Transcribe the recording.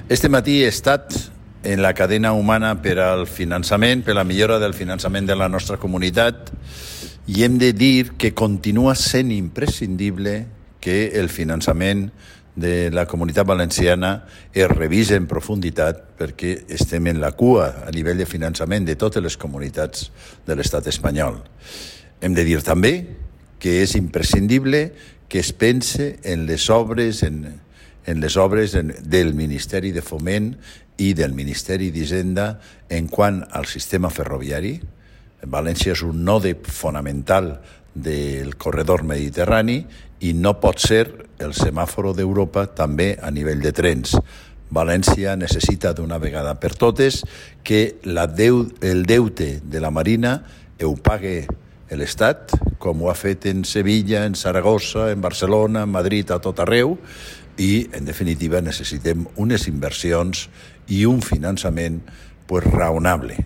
Este matí he estat en la cadena humana per al finançament, per la millora del finançament de la nostra comunitat, i hem de dir que continua sent imprescindible que el finançament de la comunitat valenciana es revisi en profunditat, perquè estem en la cua a nivell de finançament de totes les comunitats de l'estat espanyol. Hem de dir també que és imprescindible que es pense en les obres del Ministeri de Foment i del Ministeri d'Hisenda en quant al sistema ferroviari. València és un node fonamental del corredor mediterrani i no pot ser el semàforo d'Europa també a nivell de trens. València necessita d'una vegada per totes que el deute de la Marina ho pague l'Estat, com ho ha fet en Sevilla, en Saragossa, en Barcelona, en Madrid, a tot arreu, i, en definitiva, necessitem unes inversions i un finançament raonable.